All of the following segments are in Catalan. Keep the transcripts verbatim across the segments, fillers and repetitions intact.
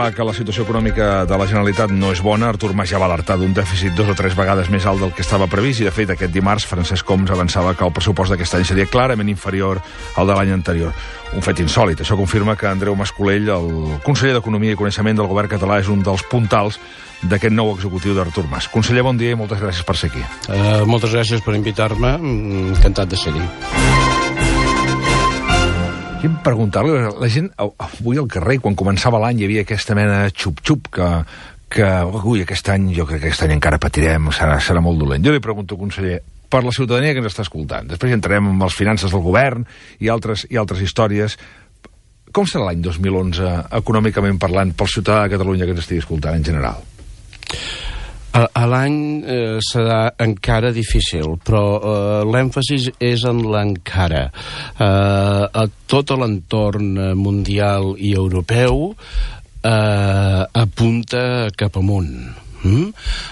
clar que la situació econòmica de la Generalitat no és bona. Artur Mas ja va alertar d'un dèficit dos o tres vegades més alt del que estava previst i, de fet, aquest dimarts Francesc Homs avançava que el pressupost d'aquest any seria clarament inferior al de l'any anterior. Un fet insòlit. Això confirma que Andreu Mas-Colell, el conseller d'Economia i Coneixement del govern català, és un dels puntals d'aquest nou executiu d'Artur Mas. Conseller, bon dia i moltes gràcies per ser aquí. Uh, moltes gràcies per invitar-me. Encantat de ser-hi. Vull preguntar-li, la gent avui al carrer, quan començava l'any, hi havia aquesta mena de xup-xup que, que ui, aquest any, jo crec que aquest any encara patirem, serà, serà molt dolent. Jo li pregunto, conseller, per la ciutadania que ens està escoltant, després entrarem en les finances del govern i altres, i altres històries, com serà l'any dos mil onze, econòmicament parlant, pel ciutadà de Catalunya que ens estigui escoltant en general? A, a l'any eh, serà encara difícil, però eh, l'èmfasis és en l'encara. Eh, a tot l'entorn mundial i europeu eh, apunta cap amunt. Mm?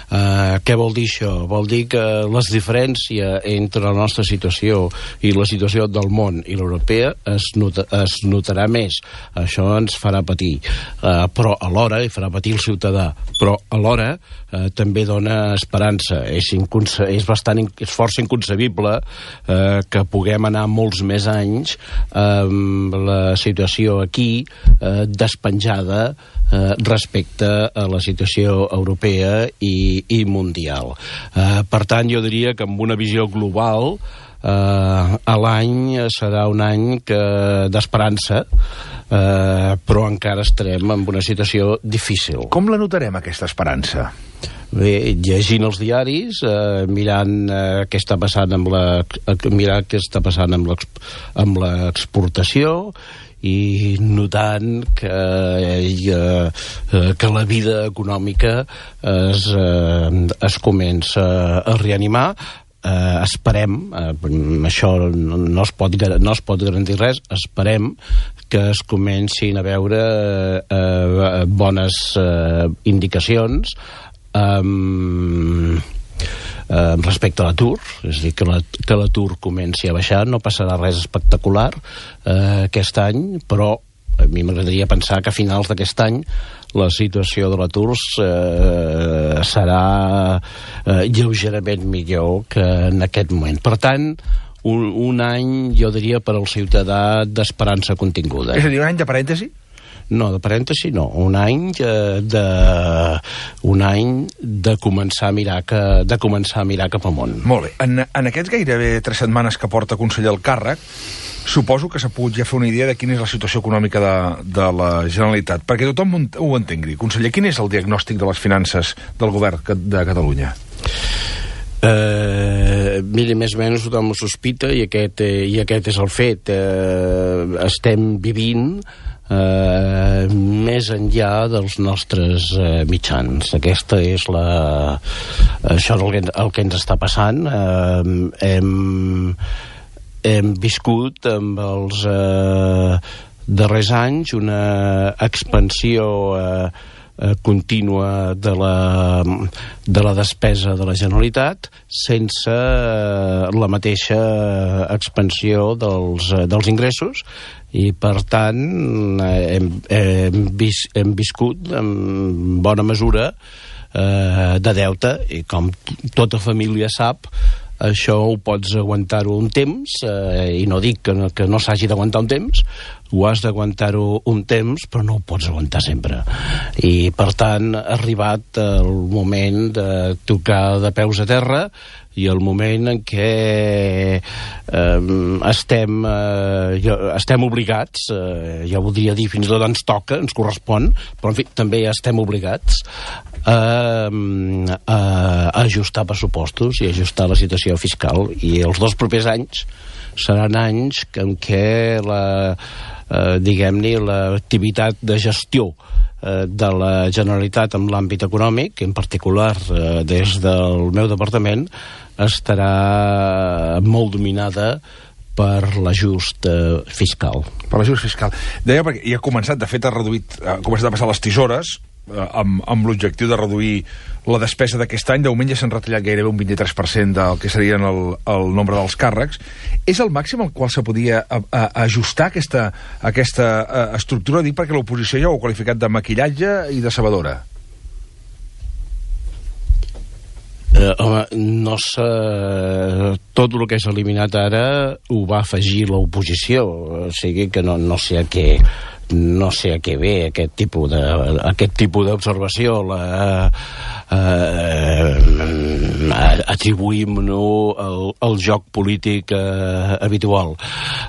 Uh, què vol dir això? Vol dir que la diferència entre la nostra situació i la situació del món i l'europea es, nota, es notarà més. Això ens farà patir, uh, però alhora, i farà patir el ciutadà, però alhora uh, també dona esperança. És, inconce és, bastant in és força inconcebible uh, que puguem anar molts més anys amb uh, la situació aquí uh, despenjada Uh, respecte a la situació europea i, i mundial. Uh, per tant, jo diria que amb una visió global uh, a l'any serà un any d'esperança, uh, però encara estarem en una situació difícil. Com la notarem, aquesta esperança? Bé, llegint els diaris, eh, mirant eh, què està passant amb la, mirar què està passant amb l'exportació i notant que, eh, que la vida econòmica es, eh, es comença a reanimar. Eh, esperem, eh, això no, no, es pot, no es pot garantir res, esperem que es comencin a veure eh, bones eh, indicacions Um, um, respecte a l'atur, és a dir, que l'atur la, comenci a baixar. No passarà res espectacular uh, aquest any, però a mi m'agradaria pensar que a finals d'aquest any la situació de l'atur uh, serà uh, lleugerament millor que en aquest moment. Per tant, un, un any, jo diria, per al ciutadà d'esperança continguda. És a dir, un any de parèntesi? No, de parèntesi no. Un any de, de un any de començar a mirar que, de començar a mirar cap amunt. Molt bé. En, en aquests gairebé tres setmanes que porta conseller al càrrec, suposo que s'ha pogut ja fer una idea de quina és la situació econòmica de, de la Generalitat, perquè tothom ho entengui. Conseller, quin és el diagnòstic de les finances del govern de Catalunya? Uh, mira, més o menys tothom ho sospita i aquest, eh, i aquest és el fet. Uh, estem vivint Uh, més enllà dels nostres uh, mitjans. Aquesta és la... Això és el que, el que ens està passant. Uh, hem, hem viscut amb els uh, darrers anys una expansió uh, uh, contínua de la, de la despesa de la Generalitat sense uh, la mateixa expansió dels, uh, dels ingressos, i per tant hem, hem, vis, hem viscut en bona mesura eh, de deute, i com tota família sap, això ho pots aguantar-ho un temps, eh, i no dic que no, que no s'hagi d'aguantar un temps, ho has d'aguantar-ho un temps, però no ho pots aguantar sempre. I per tant ha arribat el moment de tocar de peus a terra, i el moment en què eh, estem, eh, estem obligats, eh, ja voldria dir fins i tot ens toca, ens correspon, però en fi, també estem obligats a, a, a ajustar pressupostos i ajustar la situació fiscal. I els dos propers anys seran anys en què la, eh, diguem-ne, l'activitat de gestió de la Generalitat en l'àmbit econòmic, en particular eh, des del meu departament, estarà molt dominada per l'ajust eh, fiscal. Per l'ajust fiscal. Deia, perquè ja ha començat, de fet ha reduït, ha començat a passar les tisores, amb, amb l'objectiu de reduir la despesa d'aquest any. De moment ja s'han retallat gairebé un vint-i-tres per cent del que serien el, el nombre dels càrrecs. És el màxim al qual se podia a, a, ajustar aquesta, aquesta a, estructura? Dic perquè l'oposició ja ho ha qualificat de maquillatge i de sabedora. Eh, home, no sé... Tot el que s'ha eliminat ara ho va afegir l'oposició, o sigui que no, no sé a què... no sé a què ve aquest tipus de aquest tipus d'observació. La, eh, atribuïm-no el, el joc polític eh, habitual.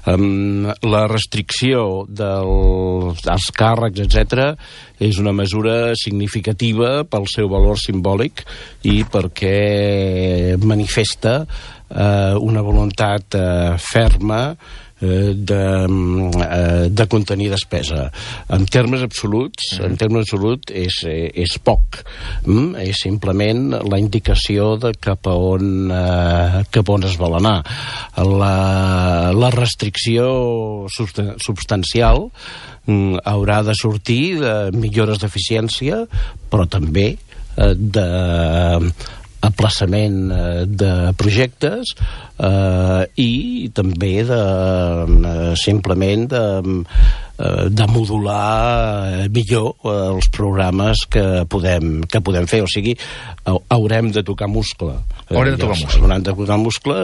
Um, la restricció del, dels càrrecs, etcètera, és una mesura significativa pel seu valor simbòlic i perquè manifesta eh, una voluntat eh, ferma De, de contenir despesa. En termes absoluts, en termes absoluts és, és poc. Mm? És simplement la indicació de cap a on, eh, cap a on es vol anar. La, la restricció substancial mm, haurà de sortir de millores d'eficiència, però també eh, de aplaçament de projectes eh, i també de eh, simplement de, eh, de modular millor els programes que podem, que podem fer. O sigui, haurem de tocar muscle. Haurem de tocar muscle. Haurem de tocar muscle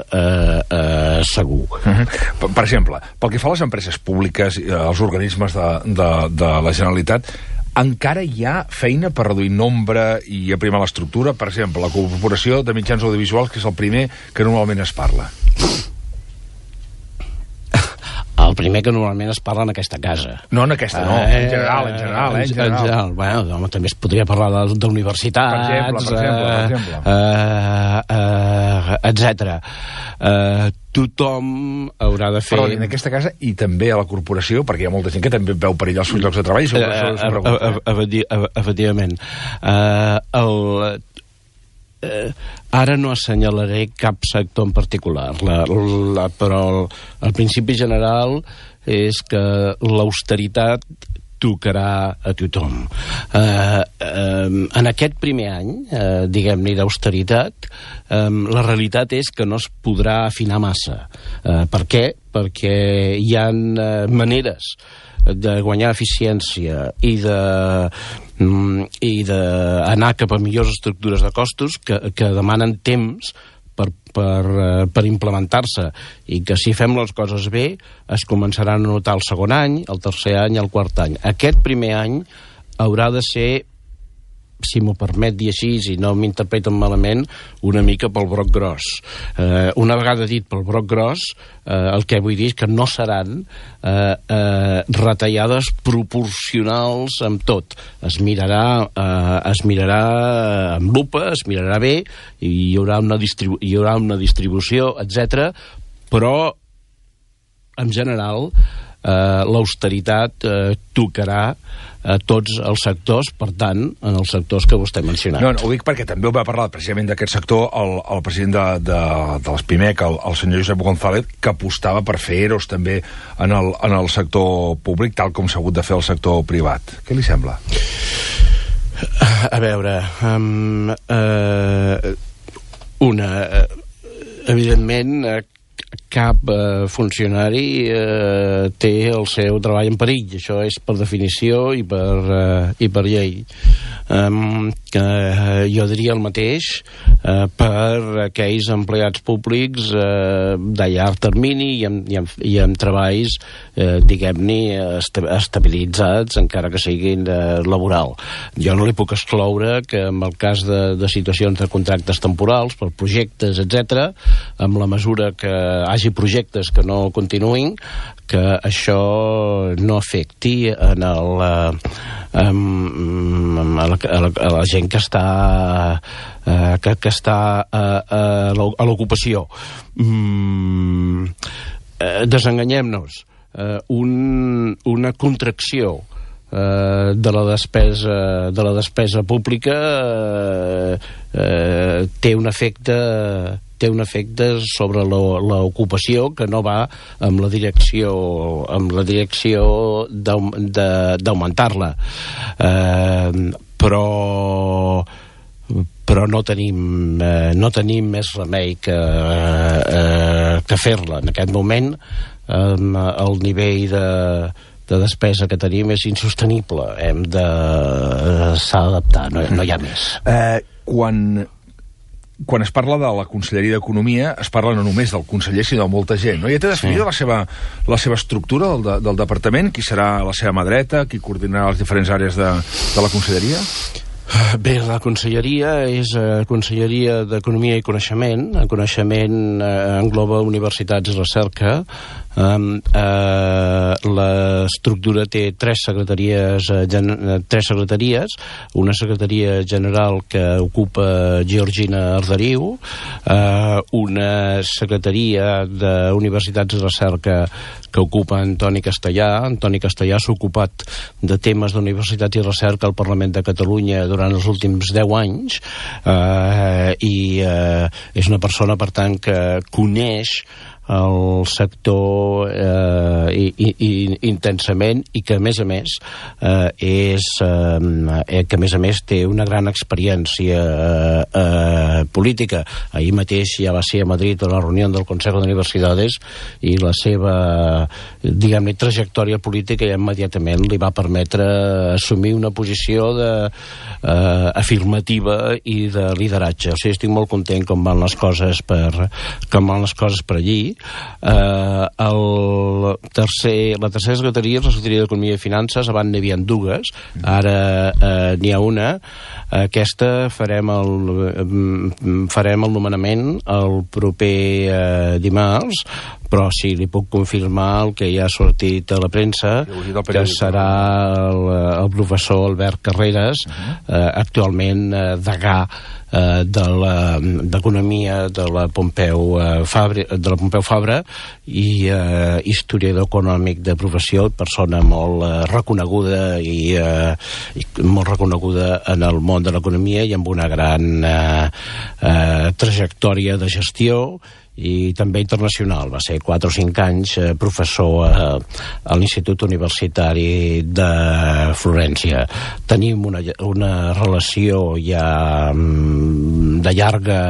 eh, eh, segur. Uh-huh. per, per exemple, pel que fa a les empreses públiques, als organismes de, de, de la Generalitat, encara hi ha feina per reduir nombre i aprimar l'estructura? Per exemple, la Corporació de Mitjans Audiovisuals, que és el primer que normalment es parla. El primer que normalment es parla en aquesta casa. No en aquesta, no. Eh, en general, en general, eh, en general. En general. Bueno, home, també es podria parlar d'universitats... Per exemple, per exemple, per exemple. Eh, eh, etcètera. Eh, tothom haurà de fer... Però en aquesta casa i també a la corporació, perquè hi ha molta gent que també veu perillar els seus llocs de treball, i sobre això s'ho pregunta. Efectivament. Eh, el... Eh, ara no assenyalaré cap sector en particular, la, la, però el, el principi general és que l'austeritat tocarà a tothom. Eh, eh, en aquest primer any, eh, diguem-ne, d'austeritat, eh, la realitat és que no es podrà afinar massa. Eh, per què? Perquè hi ha eh, maneres de guanyar eficiència i de i d'anar cap a millors estructures de costos que, que demanen temps per, per, per implementar-se, i que si fem les coses bé es començaran a notar el segon any, el tercer any, el quart any. Aquest primer any haurà de ser, si m'ho permet dir així, i no m'interpreten malament, una mica pel broc gros. Eh, una vegada dit pel broc gros, eh, el que vull dir és que no seran eh, eh, retallades proporcionals amb tot. Es mirarà, eh, es mirarà amb lupa, es mirarà bé, i hi haurà una, distribu hi haurà una distribució, etcètera, però, en general, eh, l'austeritat eh, tocarà a tots els sectors, per tant, en els sectors que vostè ha mencionat. No, no, ho dic perquè també ho va parlar precisament d'aquest sector el, el president de, de, de l'Espimec, el, el senyor Josep González, que apostava per fer EROs també en el, en el sector públic, tal com s'ha hagut de fer el sector privat. Què li sembla? A veure, um, uh, una... Uh, evidentment, uh, cap eh, funcionari eh, té el seu treball en perill. Això és per definició i per, eh, i per llei. Um, eh, jo diria el mateix eh, per aquells empleats públics eh, de llarg termini i amb, i amb, i amb treballs eh, diguem-ne estabilitzats, encara que siguin eh, laboral. Jo no li puc excloure que en el cas de, de situacions de contractes temporals per projectes, etcètera, amb la mesura que hagi projectes que no continuïn, que això no afecti en el, en, a, la, a, la, a la gent que està eh, que, que està a, a l'ocupació. Mm, eh, desenganyem-nos. Eh, un, una contracció eh, de la despesa de la despesa pública eh, eh, té un efecte té un efecte sobre l'ocupació que no va amb la direcció amb la direcció d'augmentar-la. Eh, però però no tenim, eh, no tenim més remei que, eh, que fer-la. En aquest moment eh, el nivell de, de despesa que tenim és insostenible. Hem de... Eh, s'ha d'adaptar, no, no hi ha més. Eh, quan, quan es parla de la Conselleria d'Economia, es parla no només del conseller, sinó de molta gent, no? Ja té definida sí. la, seva, la seva estructura del, del departament? Qui serà la seva mà dreta? Qui coordinarà les diferents àrees de, de la Conselleria? Bé, la conselleria és eh, Conselleria d'Economia i Coneixement. El coneixement eh, engloba universitats i recerca. Um, uh, l'estructura té tres secretaries, uh, gen tres secretaries, una secretaria general que ocupa Georgina Arderiu, uh, una secretaria d'Universitats i Recerca que ocupa Antoni Castellà. Antoni Castellà s'ha ocupat de temes d'universitats i recerca al Parlament de Catalunya durant els últims deu anys, uh, i uh, és una persona, per tant, que coneix el sector eh, i, i, i, intensament i que a més a més eh, és eh, que a més a més té una gran experiència eh, eh, política. Ahir mateix ja va ser a Madrid a la reunió del Consejo de Universidades i la seva, diguem-ne, trajectòria política ja immediatament li va permetre assumir una posició de, eh, afirmativa i de lideratge. O sigui, estic molt content com van les coses per, com van les coses per allí. Uh, el tercer, la tercera secretaria és la Secretaria d'Economia i Finances. Abans n'hi havia dues, ara uh, n'hi ha una. Aquesta farem el, farem el nomenament el proper uh, dimarts, però sí, li puc confirmar el que ja ha sortit a la premsa, que serà el, el professor Albert Carreras, uh-huh. uh, actualment uh, degà Uh, de d'Economia de la Pompeu uh, Fabra, de la Pompeu Fabra i uh, historiador econòmic de professió, persona molt uh, reconeguda i, uh, i molt reconeguda en el món de l'economia i amb una gran uh, uh, trajectòria de gestió i també internacional. Va ser quatre o cinc anys eh, professor eh, a l'Institut Universitari de Florència. Tenim una, una relació ja mm, de llarga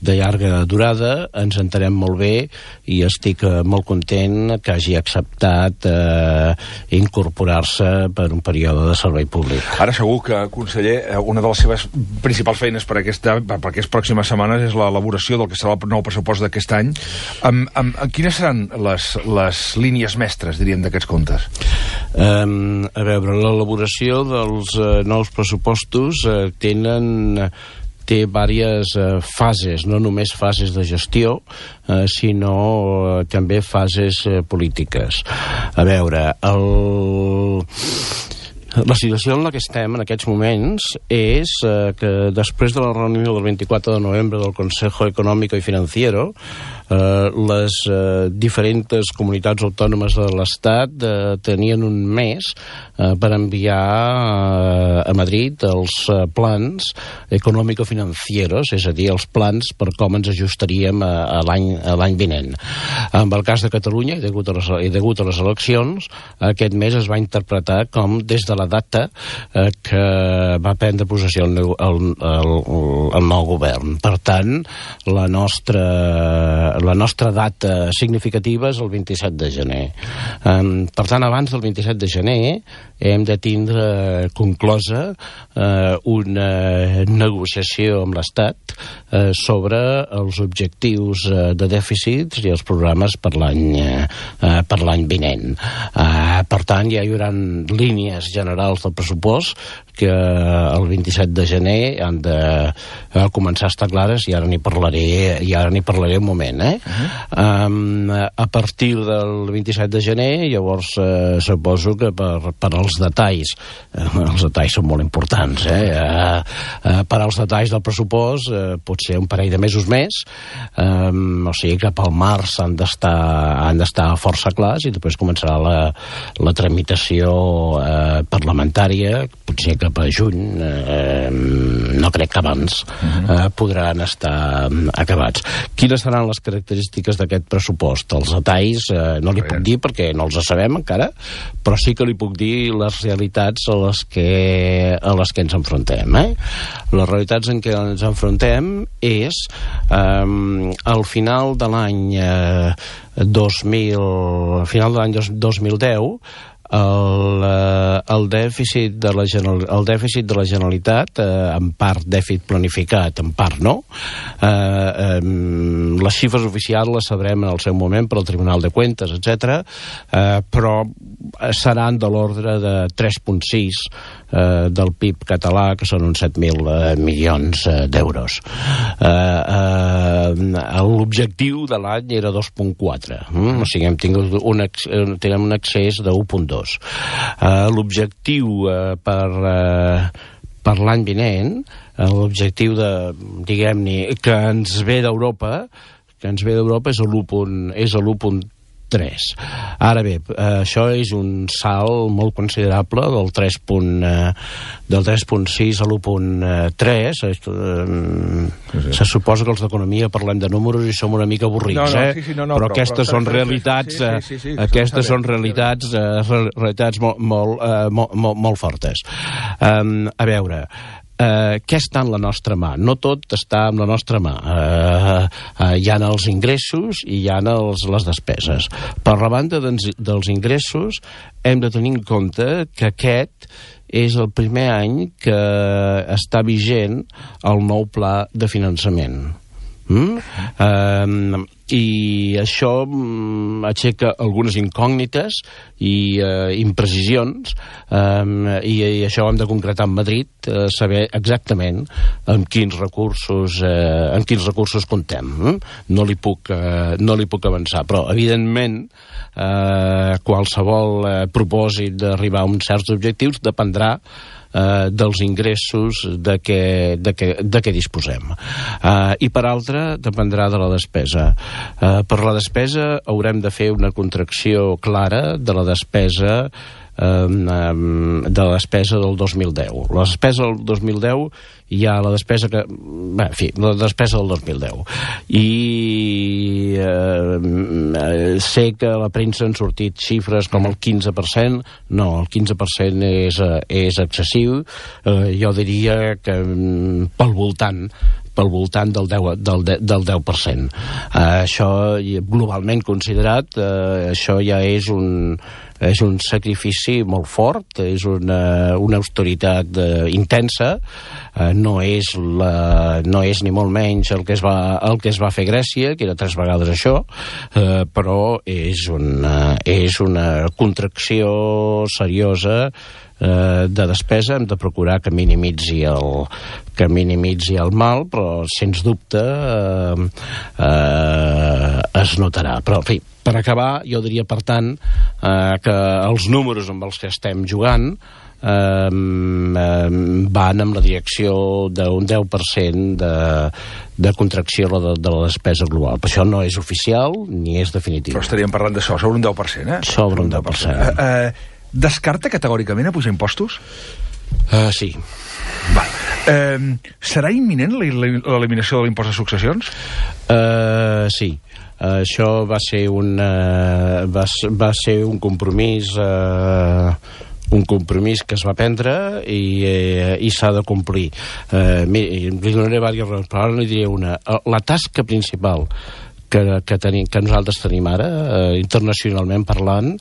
de llarga durada, ens entenem molt bé i estic eh, molt content que hagi acceptat eh, incorporar-se per un període de servei públic. Ara segur que, conseller, una de les seves principals feines per, aquesta, per aquestes pròximes setmanes és l'elaboració del que serà el nou pressupost d'aquest any. Amb, amb, amb quines seran les, les línies mestres, diríem, d'aquests comptes? Um, a veure, l'elaboració dels uh, nous pressupostos uh, tenen... té diverses uh, fases, no només fases de gestió, uh, sinó uh, també fases uh, polítiques. A veure, el... la situació en la que estem en aquests moments és uh, que després de la reunió del vint-i-quatre de novembre del Consejo Económico y Financiero, Uh, les uh, diferents comunitats autònomes de l'Estat uh, tenien un mes uh, per enviar uh, a Madrid els uh, plans econòmico-financieros, és a dir, els plans per com ens ajustaríem a, a l'any vinent. En el cas de Catalunya, i degut a les, i degut a les eleccions, aquest mes es va interpretar com des de la data uh, que va prendre possessió el, el, el, el nou govern. Per tant, la nostra la nostra data significativa és el vint-i-set de gener. Um, per tant, abans del vint-i-set de gener hem de tindre conclosa uh, una negociació amb l'Estat uh, sobre els objectius uh, de dèficits i els programes per l'any uh, per l'any vinent. Uh, per tant, ja hi haurà línies generals del pressupost que el vint-i-set de gener han de uh, començar a estar clares i ara n'hi parlaré, i ara n'hi parlaré un moment, eh? Uh-huh. um, a partir del vint-i-set de gener, llavors uh, suposo que per, per als detalls, uh, els detalls són molt importants, eh? Uh, uh, per als detalls del pressupost, uh, potser un parell de mesos més, um, o sigui que pel març han d'estar han d'estar força clars i després començarà la, la tramitació uh, parlamentària, potser cap a juny, eh, no crec que abans, eh, podran estar acabats. Quines seran les característiques d'aquest pressupost? Els detalls eh, no li puc dir perquè no els sabem encara, però sí que li puc dir les realitats a les que, a les que ens enfrontem. Eh? Les realitats en què ens enfrontem és eh, al final de l'any eh, dos mil, al final de l'any dos mil deu, El, el, dèficit de la general, el dèficit de la Generalitat, eh, en part dèficit planificat, en part no. Eh, eh, les xifres oficials les sabrem en el seu moment per al Tribunal de Cuentas, etcètera, eh, però seran de l'ordre de tres coma sis eh, del P I B català, que són uns set mil eh, milions eh, d'euros. Eh, eh, L'objectiu de l'any era dos coma quatre, mm? O sigui, hem tingut un, tenim un excés de u coma dos. Uh, l'objectiu uh, per, uh, per l'any vinent, uh, l'objectiu de, diguem-ne, que ens ve d'Europa, que ens ve d'Europa és l'u coma tres. Ara bé, uh, això és un salt molt considerable del tres coma sis a l'u coma tres. Uh, sí, sí. Se suposa que els d'economia parlem de números i som una mica avorrits, no, no, eh? Sí, sí, no, no, però, però aquestes però, són però, realitats, sí, sí, sí, sí, aquestes són realitats, uh, realitats molt, molt, uh, molt, molt, molt fortes. Um, a veure, Uh, què està en la nostra mà? No tot està en la nostra mà. Uh, uh, hi ha els ingressos i hi ha els, les despeses. Per la banda dels, dels ingressos hem de tenir en compte que aquest és el primer any que està vigent el nou pla de finançament. Mm? Uh, i això um, aixeca algunes incògnites i uh, imprecisions, um, i, i això ho hem de concretar en Madrid, uh, saber exactament amb quins recursos uh, amb quins recursos comptem. Mm? No li puc, uh, no li puc avançar, però evidentment uh, qualsevol uh, propòsit d'arribar a uns certs objectius dependrà Uh, dels ingressos de què, de què, de què disposem. Uh, I per altra, dependrà de la despesa. Uh, per la despesa haurem de fer una contracció clara de la despesa Um, um, de la despesa del dos mil deu. La despesa del dos mil deu hi ha la despesa que... Bé, en fi, la despesa del dos mil deu. I uh, sé que a la premsa han sortit xifres com el quinze per cent. No, el quinze per cent és, és excessiu. Uh, jo diria que um, pel voltant pel voltant del deu, del, del deu per cent. Uh, això, globalment considerat, uh, això ja és un, és un sacrifici molt fort, és una, una austeritat uh, intensa, uh, no, és la, no és ni molt menys el que, es va, el que es va fer a Grècia, que era tres vegades això, uh, però és una, és una contracció seriosa de despesa. Hem de procurar que minimitzi el, que minimitzi el mal, però sens dubte eh, eh, es notarà. Però, en fi, per acabar, jo diria, per tant, eh, que els números amb els que estem jugant eh, eh, van en la direcció d'un deu per cent de, de contracció de, de la despesa global. Però això no és oficial ni és definitiu. Però estaríem parlant d'això, sobre un deu per cent, eh? Sobre un deu per cent. Uh, uh, Descarta categòricament a pujar impostos? Uh, sí. Va. Uh, serà imminent l'eliminació de l'impost de successions? Uh, sí. Uh, això va ser un, uh, va, va ser un compromís... Uh, un compromís que es va prendre i, eh, i s'ha de complir. Eh, li donaré diverses raons, però ara li diré una. La tasca principal que, que, tenim, que nosaltres tenim ara, eh, internacionalment parlant,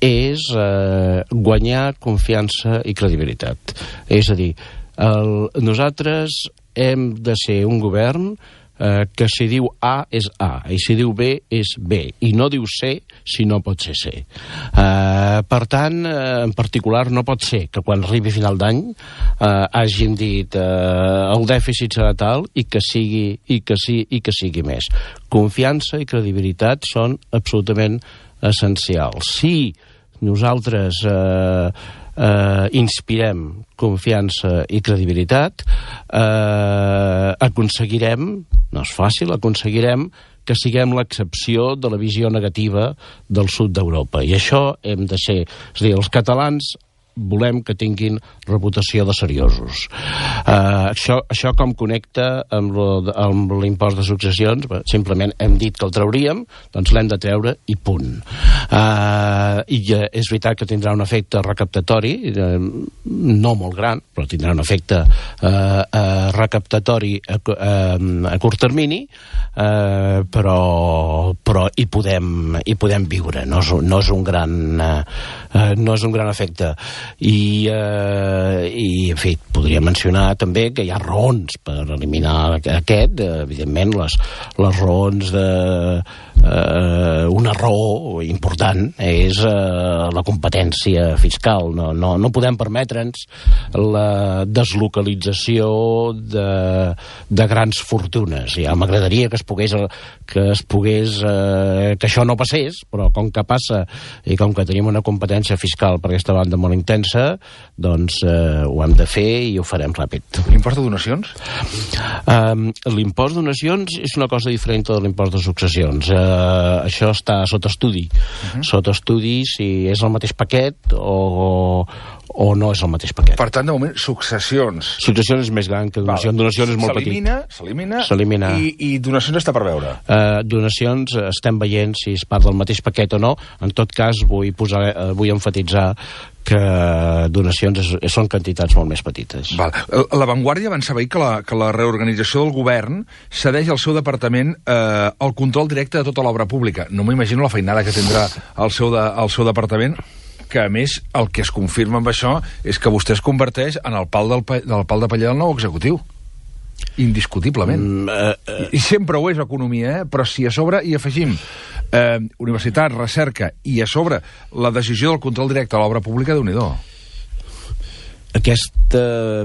és eh, guanyar confiança i credibilitat. És a dir, el, nosaltres hem de ser un govern eh, que si diu A és A, i si diu B és B, i no diu C si no pot ser C. Eh, per tant, eh, en particular, no pot ser que quan arribi a final d'any eh, hàgim dit eh, el dèficit serà tal i que sigui, i que sí, i que sigui més. Confiança i credibilitat són absolutament essencials. Si nosaltres eh, eh, inspirem confiança i credibilitat, eh, aconseguirem, no és fàcil, aconseguirem que siguem l'excepció de la visió negativa del sud d'Europa. I això hem de ser... És a dir, els catalans volem que tinguin reputació de seriosos. Uh, això, això com connecta amb, lo, amb l'impost de successions? Simplement hem dit que el trauríem, doncs l'hem de treure i punt. Uh, I uh, és veritat que tindrà un efecte recaptatori, uh, no molt gran, però tindrà un efecte uh, uh, recaptatori a, uh, a curt termini, uh, però, però hi, podem, hi podem viure, no és, no és un gran uh, no és un gran efecte. I, eh, i en fi, podria mencionar també que hi ha raons per eliminar aquest, evidentment les, les raons de eh, una raó important és eh, la competència fiscal. No, no, no podem permetre'ns la deslocalització de, de grans fortunes. Ja m'agradaria que es pogués que es pogués eh, que això no passés, però com que passa i com que tenim una competència fiscal per aquesta banda molt intensa, doncs eh, ho hem de fer i ho farem ràpid. L'impost de donacions? Um, l'impost de donacions és una cosa diferent de l'impost de successions. Uh, això està sota estudi. Uh-huh. Sota estudi si és el mateix paquet o, o no és el mateix paquet. Per tant, de moment, successions. Successions és més gran que donacions. Val. Donacions és molt petit. S'elimina, s'elimina. I, i donacions està per veure? Uh, donacions estem veient si és part del mateix paquet o no. En tot cas, vull, posar, uh, vull enfatitzar que donacions és, són quantitats molt més petites. Val. La Vanguardia van saber que la, que la reorganització del govern cedeix al seu departament eh, el control directe de tota l'obra pública. No m'imagino la feinada que tindrà el seu, de, el seu departament, que a més el que es confirma amb això és que vostè es converteix en el pal, del, del pal de paller del nou executiu. Indiscutiblement. Mm, uh, uh. I, I sempre ho és economia, eh? Però si a sobre hi afegim eh, universitat, recerca i a sobre la decisió del control directe a l'obra pública, déu-n'hi-do. Aquesta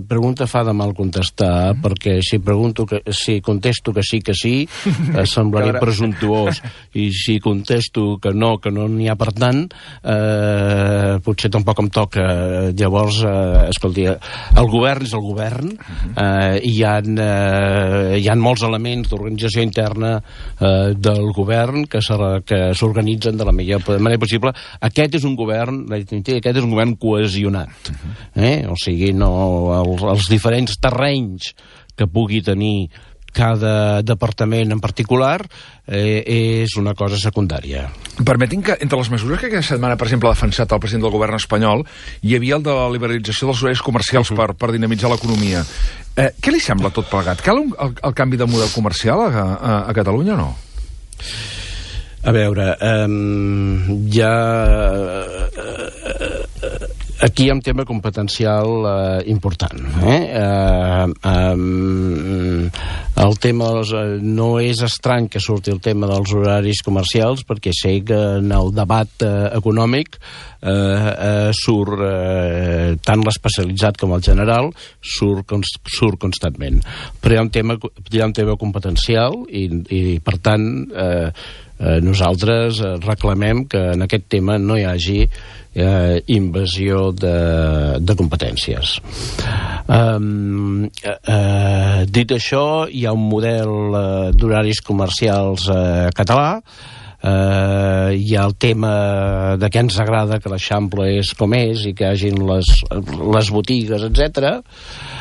pregunta fa de mal contestar, mm. perquè si pregunto que, si contesto que sí que sí, eh, semblaré presumptuós, i si contesto que no, que no n'hi ha per tant, eh, potser tampoc em toca. Llavors, eh, escolti, el govern és el govern, eh, i hi ha, eh, hi ha molts elements d'organització interna eh, del govern que s'organitzen de la millor manera possible. Aquest és un govern, aquest és un govern cohesionat, eh? O sigui, no, els, els diferents terrenys que pugui tenir cada departament en particular eh, és una cosa secundària. Permetin que, entre les mesures que aquesta setmana, per exemple, ha defensat el president del govern espanyol, hi havia el de la liberalització dels horaris comercials per, per dinamitzar l'economia. Eh, què li sembla tot plegat? Cal un, el, el canvi de model comercial a, a, a Catalunya o no? A veure, um, ja... Aquí hi ha un tema competencial eh, important. Eh? Eh, um, el tema dels, eh, no és estrany que surti el tema dels horaris comercials, perquè sé que en el debat eh, econòmic eh, eh, surt eh, tant l'especialitzat com el general surt, const, surt constantment. Però hi ha un tema, hi ha un tema competencial i, i per tant eh, eh, nosaltres reclamem que en aquest tema no hi hagi Eh, invasió de, de competències. Um, eh, eh, dit això, hi ha un model eh, d'horaris comercials eh, català. Uh, hi ha el tema de què ens agrada que l'Eixample és com és i que hi hagin les, les botigues, etcètera.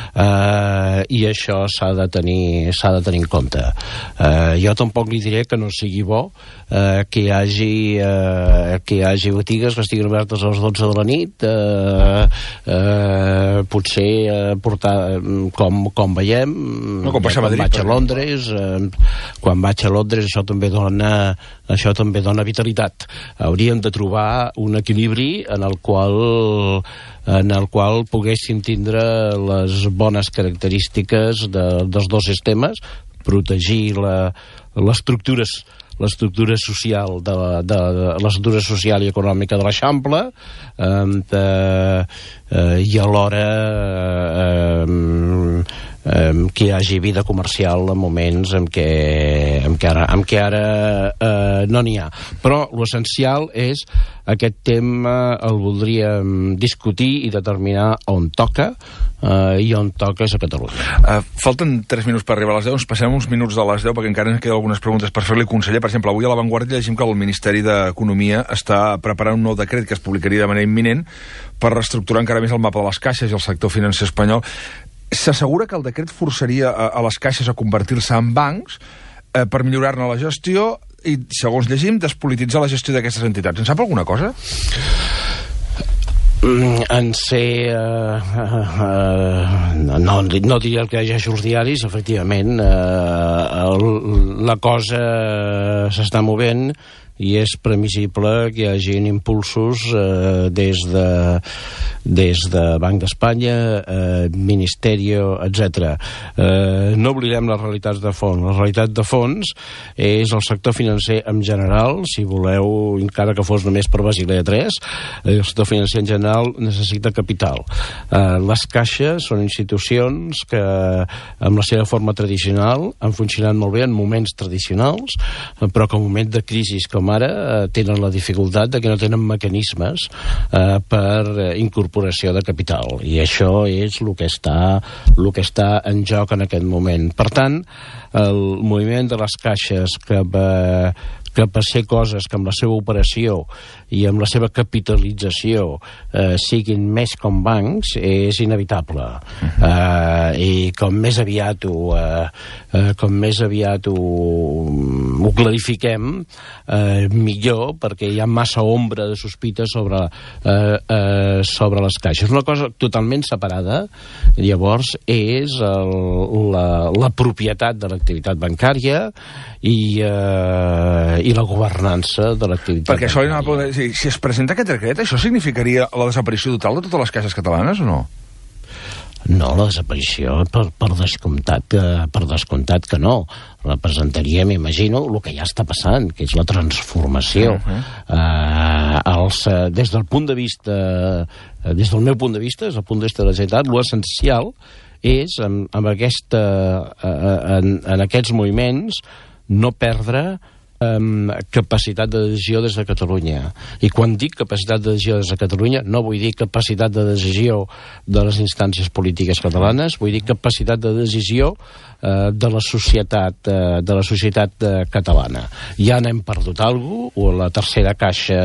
Uh, i això s'ha de tenir s'ha de tenir en compte. Uh, jo tampoc li diré que no sigui bo uh, que hi hagi uh, que hi hagi botigues que estiguin obertes a les dotze de la nit, uh, uh, potser uh, portar com, com veiem no, com ja, quan vaig a Londres uh, quan vaig a Londres això també dona això també dona vitalitat. Hauríem de trobar un equilibri en el qual en el qual poguessin tindre les bones característiques de, dels dos sistemes, protegir la, l'estructura l'estructura social de, de, de l'estructura social i econòmica de l'Eixample eh, eh, i alhora eh, eh, que hi hagi vida comercial en moments en què, en què ara, en què ara eh, no n'hi ha. Però l'essencial és aquest tema el voldríem discutir i determinar on toca, uh, i on toca és a Catalunya. Uh, falten tres minuts per arribar a les deu, ens passem uns minuts de les deu perquè encara ens queden algunes preguntes per fer-li, conseller. Per exemple, avui a La Vanguardia llegim que el Ministeri d'Economia està preparant un nou decret que es publicaria de manera imminent per reestructurar encara més el mapa de les caixes i el sector financer espanyol. S'assegura que el decret forçaria a, a les caixes a convertir-se en bancs eh, per millorar-ne la gestió i, segons llegim, despolititzar la gestió d'aquestes entitats. En sap alguna cosa? Mm, en ser... Uh, uh, uh, no, no diria el que llegeixo els diaris, efectivament. Uh, el, la cosa s'està movent i és previsible que hi hagin impulsos eh, des de des de Banc d'Espanya, eh, Ministerio, etcètera. Eh, no oblidem les realitats de fons. La realitat de fons és el sector financer en general, si voleu, encara que fos només per Basilea tres, el sector financer en general necessita capital. Eh, les caixes són institucions que, amb la seva forma tradicional, han funcionat molt bé en moments tradicionals, però que en moment de crisi com ara eh, tenen la dificultat de que no tenen mecanismes eh, per eh, incorporació de capital, i això és el que està, el que està en joc en aquest moment. Per tant, el moviment de les caixes cap a, cap a ser coses que amb la seva operació i amb la seva capitalització eh, siguin més com bancs és inevitable. Uh-huh. eh, i com més aviat ho, eh, eh, com més aviat ho, ho clarifiquem, eh, millor, perquè hi ha massa ombra de sospita sobre, eh, eh, sobre les caixes. Una cosa totalment separada, llavors, és el, la, la propietat de l'activitat bancària i, eh, i la governança de l'activitat perquè això bancària. Poder, si, si es presenta aquest decret, això significaria la desaparició total de totes les caixes catalanes o no? No, la desaparició, per, per, descomptat, que, per descomptat que no. Representaria, m'imagino, el que ja està passant, que és la transformació. Uh-huh. eh, els, des del punt de vista, des del meu punt de vista, des del punt de vista de la Generalitat, l'essencial és, en, en, aquesta, en, en aquests moviments, no perdre Um, capacitat de decisió des de Catalunya. I quan dic capacitat de decisió des de Catalunya no vull dir capacitat de decisió de les instàncies polítiques catalanes, vull dir capacitat de decisió uh, de la societat uh, de la societat uh, catalana. Ja n'hem perdut alguna cosa, o la tercera caixa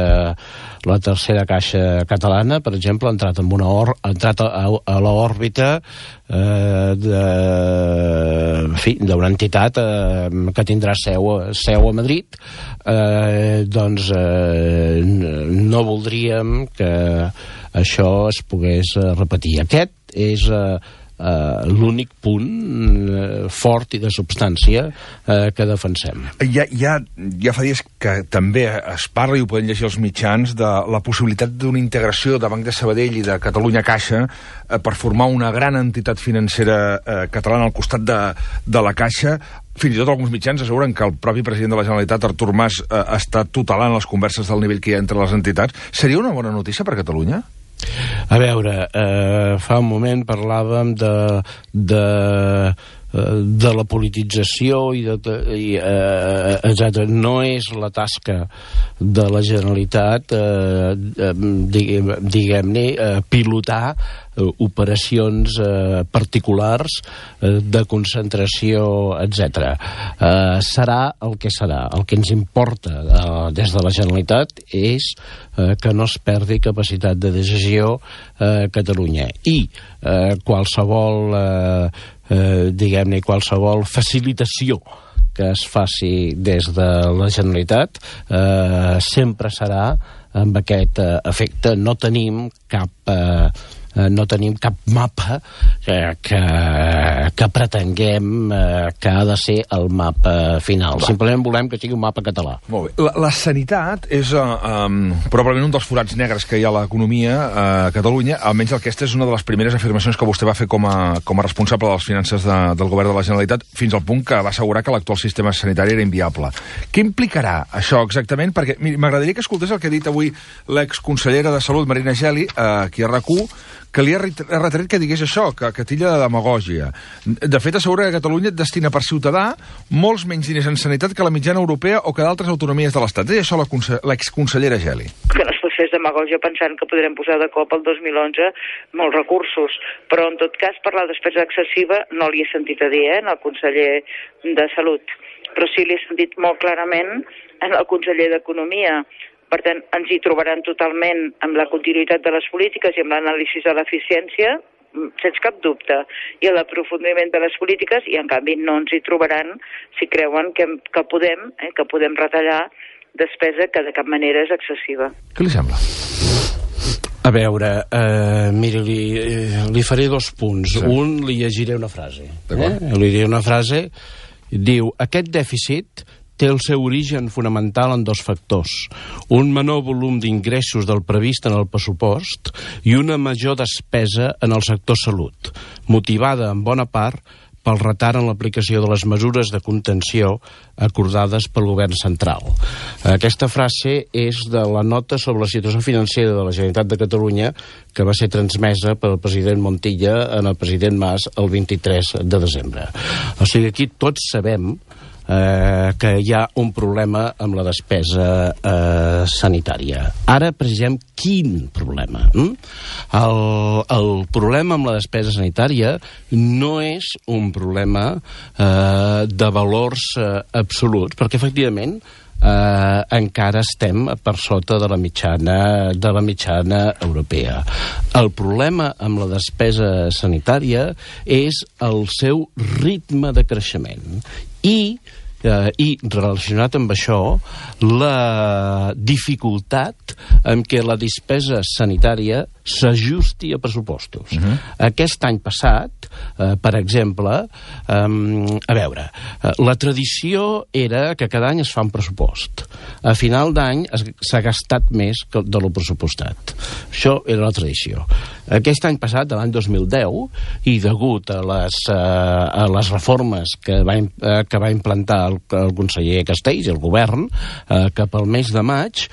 la tercera caixa catalana, per exemple, ha entrat, amb una or, ha entrat a, a l'òrbita eh, de, en fi, d'una entitat eh, que tindrà seu, seu a Madrid. Eh, doncs eh, no voldríem que això es pogués repetir. Aquest és eh, Uh, l'únic punt uh, fort i de substància uh, que defensem. Ja, ja, ja fa dies que també es parla, i ho poden llegir els mitjans, de la possibilitat d'una integració de Banc de Sabadell i de Catalunya Caixa uh, per formar una gran entitat financera uh, catalana al costat de, de la Caixa. Fins i tot alguns mitjans asseguren que el propi president de la Generalitat, Artur Mas, uh, està tutelant les converses del nivell que hi ha entre les entitats. Seria una bona notícia per Catalunya? A veure, eh, fa un moment parlàvem de, de, de la politització i, de, i eh, etcètera. No és la tasca de la Generalitat, eh, diguem, diguem-ne, eh, pilotar eh, operacions eh, particulars eh, de concentració, etcètera. Eh, serà el que serà. El que ens importa eh, des de la Generalitat és eh, que no es perdi capacitat de decisió a eh, Catalunya. I eh, qualsevol eh, eh, diguem-ne, qualsevol facilitació que es faci des de la Generalitat eh, sempre serà amb aquest eh, efecte. No tenim cap... Eh, no tenim cap mapa eh, que, que pretenguem eh, que ha de ser el mapa final. Va. Simplement volem que sigui un mapa català. Molt bé. La, la sanitat és uh, um, probablement un dels forats negres que hi ha a l'economia uh, a Catalunya. Almenys aquesta és una de les primeres afirmacions que vostè va fer com a, com a responsable de les finances de, del govern de la Generalitat, fins al punt que va assegurar que l'actual sistema sanitari era inviable. Què implicarà això exactament? Perquè m'agradaria que escoltés el que ha dit avui l'exconsellera de Salut, Marina Geli, uh, aquí a RAC u, que li ha retret que digués això, que, que tilla de demagògia. De fet, assegura que Catalunya destina per ciutadà molts menys diners en sanitat que la mitjana europea o que d'altres autonomies de l'Estat. Deia això l'exconsellera Geli. Que no es pot fer demagògia pensant que podrem posar de cop el dos mil onze molts recursos, però en tot cas per la despesa excessiva no li he sentit a dir, eh, al conseller de Salut, però sí li he sentit molt clarament en el conseller d'Economia. Per tant, ens hi trobaran totalment amb la continuïtat de les polítiques i amb l'anàlisi de l'eficiència, sense cap dubte, i l'aprofundiment de les polítiques, i en canvi no ens hi trobaran si creuen que, que, podem, eh, que podem retallar despesa que de cap manera és excessiva. Què li sembla? A veure, eh, miri, li, eh, li faré dos punts. Sí. Un, li llegiré una frase. Eh? Li diré una frase, diu, aquest dèficit té el seu origen fonamental en dos factors. Un menor volum d'ingressos del previst en el pressupost i una major despesa en el sector salut, motivada en bona part pel retard en l'aplicació de les mesures de contenció acordades pel govern central. Aquesta frase és de la nota sobre la situació financera de la Generalitat de Catalunya que va ser transmesa pel president Montilla en el president Mas el vint-i-tres de desembre. O sigui, aquí tots sabem Eh, que hi ha un problema amb la despesa eh, sanitària. Ara precisem quin problema. Hm? El, el problema amb la despesa sanitària no és un problema eh, de valors eh, absoluts, perquè efectivament eh, encara estem per sota de la mitjana de la mitjana europea. El problema amb la despesa sanitària és el seu ritme de creixement i eh, i relacionat amb això la dificultat en què la despesa sanitària s'ajusti a pressupostos. Uh-huh. Aquest any passat, eh, per exemple, eh, a veure, eh, la tradició era que cada any es fa un pressupost. A final d'any s'ha gastat més que de lo pressupostat. Això era la tradició. Aquest any passat, l'any dos mil deu, i degut a les, eh, a les reformes que va, eh, que va implantar el, el conseller Castells i el govern, eh, cap al mes de maig,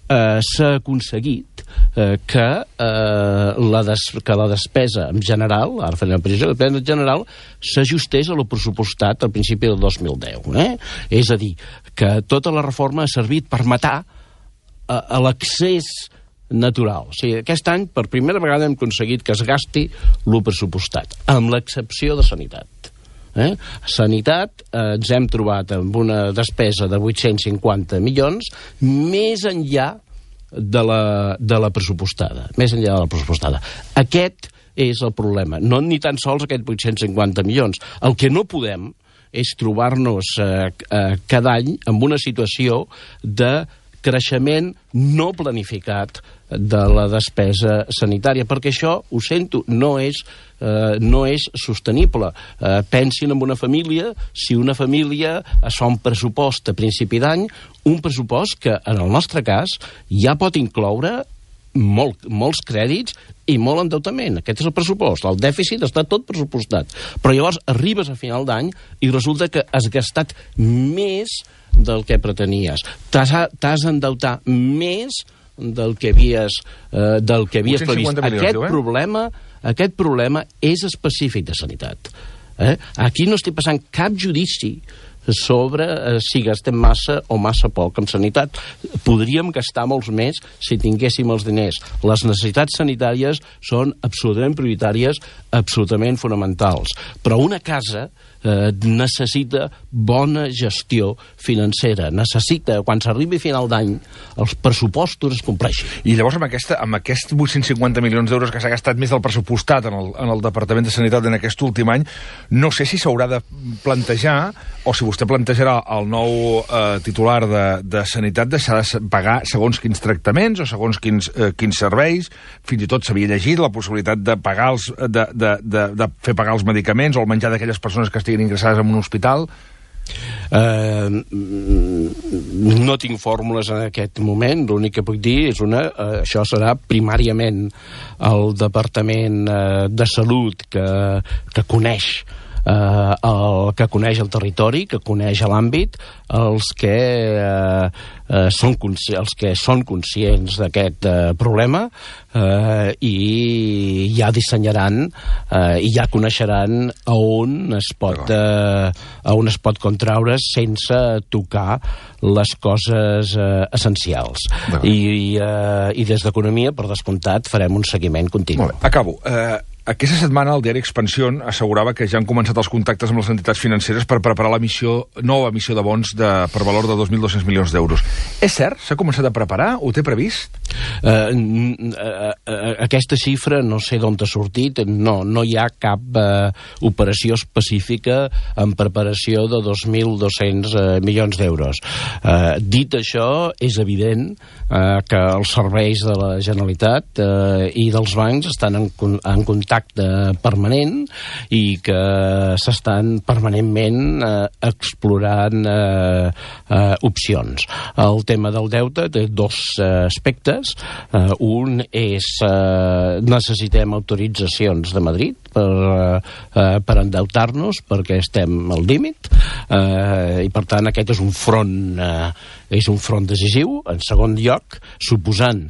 eh, s'ha aconseguit eh, que, eh, la des, que la despesa en general, ara faré una precisió, la despesa en general s'ajustés a lo pressupostat al principi del dos mil deu. Eh? És a dir, que tota la reforma ha servit per matar a, a l'accés natural. O sigui, aquest any, per primera vegada, hem aconseguit que es gasti lo pressupostat, amb l'excepció de sanitat. Eh? Sanitat, eh, ens hem trobat amb una despesa de vuit-cents cinquanta milions, més enllà de la, de la pressupostada. Més enllà de la pressupostada. Aquest és el problema. No ni tan sols aquests vuit-cents cinquanta milions. El que no podem és trobar-nos eh, eh, cada any en una situació de creixement no planificat de la despesa sanitària, perquè això, ho sento, no és, eh, no és sostenible. Eh, pensin en una família, si una família es fa un pressupost a principi d'any, un pressupost que, en el nostre cas, ja pot incloure molt, molts crèdits i molt endeutament. Aquest és el pressupost. El dèficit està tot pressupostat. Però llavors arribes a final d'any i resulta que has gastat més del que pretenies. T'has endeutat més del que havies, eh, del que havies previst. Aquest diu, eh? problema, aquest problema és específic de sanitat. Eh? Aquí no estic passant cap judici sobre eh, si gastem massa o massa poc en sanitat. Podríem gastar molts més si tinguéssim els diners. Les necessitats sanitàries són absolutament prioritàries, absolutament fonamentals. Però una casa eh, necessita bona gestió financera. Necessita, quan s'arribi a final d'any, els pressupostos es compleixin. I llavors amb, aquesta, amb aquests vuit-cents cinquanta milions d'euros que s'ha gastat més del pressupostat en el, en el Departament de Sanitat en aquest últim any, no sé si s'haurà de plantejar, o si vostè plantejarà el nou eh, titular de, de Sanitat deixar de pagar segons quins tractaments o segons quins, eh, quins serveis. Fins i tot s'havia llegit la possibilitat de pagar els, de, de, de, de fer pagar els medicaments o el menjar d'aquelles persones que estiguin ingressades en un hospital. Uh, no tinc fórmules en aquest moment. L'únic que puc dir és una, uh, això serà primàriament el Departament uh, de Salut que, que coneix eh, el que coneix el territori, que coneix l'àmbit, els que eh, eh, són els que són conscients d'aquest eh, problema eh, i ja dissenyaran eh, i ja coneixeran a on es pot eh, a on es pot contraure sense tocar les coses eh, essencials. I, eh, i des d'Economia, per descomptat, farem un seguiment continu. Molt bé, acabo. Eh, aquesta setmana el diari Expansión assegurava que ja han començat els contactes amb les entitats financeres per preparar la missió, nova emissió de bons de, per valor de dos mil dos-cents milions d'euros. És cert? S'ha començat a preparar? Ho té previst? Uh, uh, uh, aquesta xifra no sé d'on ha sortit. No, no hi ha cap uh, operació específica en preparació de dos mil dos-cents uh, milions d'euros. Uh, dit això, és evident uh, que els serveis de la Generalitat uh, i dels bancs estan en, en contacte permanent i que s'estan permanentment eh, explorant eh, eh, opcions. El tema del deute té dos eh, aspectes. Eh, un és eh, necessitem autoritzacions de Madrid per, eh, per endeutar-nos perquè estem al límit eh, i per tant aquest és un front eh, és un front decisiu. En segon lloc, suposant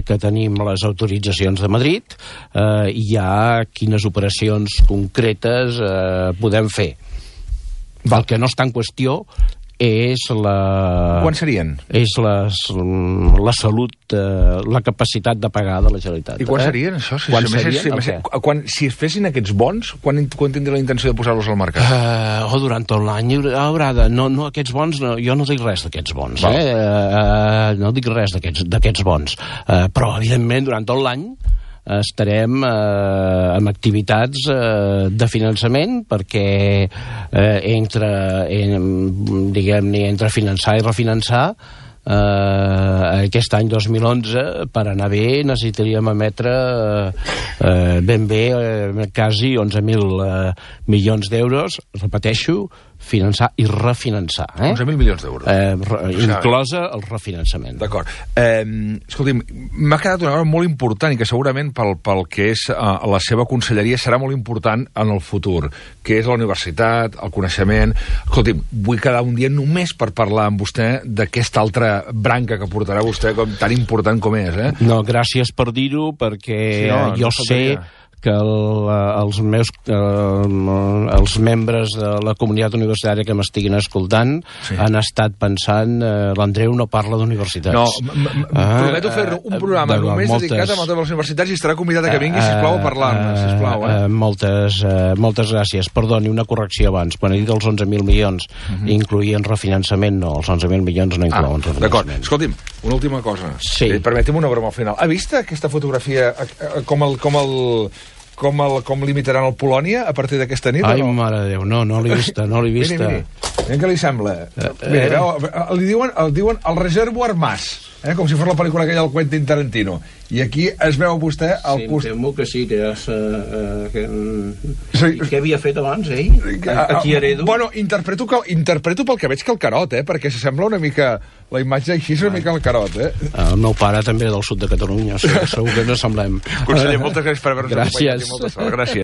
que tenim les autoritzacions de Madrid, eh, hi ha quines operacions concretes eh, podem fer. El que no està en qüestió és la... Quan serien? És la, la salut, eh, la capacitat de pagar de la Generalitat. I quan eh? serien, això? Si, quan si, serien? si, si, si, quan, si es fessin aquests bons, quan, quan tindria la intenció de posar-los al mercat? Uh, o durant tot l'any haurà de... No, no, aquests bons, no, jo no dic res d'aquests bons. Eh? Uh, no dic res d'aquests bons. Uh, però, evidentment, durant tot l'any estarem eh, amb activitats eh, de finançament perquè eh, entre, en, diguem-ne, entre finançar i refinançar Uh, aquest any dos mil onze per anar bé necessitaríem emetre uh, uh, ben bé uh, quasi onze mil uh, milions d'euros, repeteixo, finançar i refinançar. Eh? onze mil milions d'euros. Eh, re, inclosa el refinançament. D'acord. Eh, escolti'm, m'ha quedat una cosa molt important i que segurament pel, pel que és eh, la seva conselleria serà molt important en el futur, que és la universitat, el coneixement... Escolti'm, vull quedar un dia només per parlar amb vostè d'aquesta altra branca que portarà vostè com tan important com és, eh? No, gràcies per dir-ho, perquè sí, no, jo no sé que el, els meus eh, els membres de la comunitat universitària que m'estiguin escoltant sí. han estat pensant eh, l'Andreu no parla d'universitats. No, ah, prometo fer un programa de, només moltes, dedicat a el tema de les universitats i estarà convidat a que vingui, sisplau, a parlar-ne, sisplau. Eh? Moltes, eh, moltes gràcies. Perdoni, una correcció abans. Quan he dit els onze mil milions uh-huh. incloïen refinançament, no, els onze mil milions no inclouen ah, refinançament. D'acord. Escolti'm, una última cosa. Sí. Eh, permeti'm una broma al final. Ha vist aquesta fotografia com el... Com el Com, el, com limitaran el Polònia a partir d'aquesta nit? Ai, no? Mare de Déu, no, no l'he vista, no l'he vista. Miri, miri, miri què li sembla. Eh, mira, veu, li diuen, el diuen el Reservoir Mas, eh, com si fos la pel·lícula aquella del Quentin Tarantino. I aquí es veu vostè al sí, costat... Sí, em temo que sí, que ja s'ha... Uh, que... sí. Què havia fet abans, ell? Aquí heredo? Bueno, interpreto, que, interpreto pel que veig que el Carot, eh, perquè s'assembla una mica... La imatge així és una mica el Carot, eh? El meu pare també del sud de Catalunya, segur que no semblem. Conseller, moltes gràcies per haver-nos acompanyat. Gràcies. Moltes gràcies.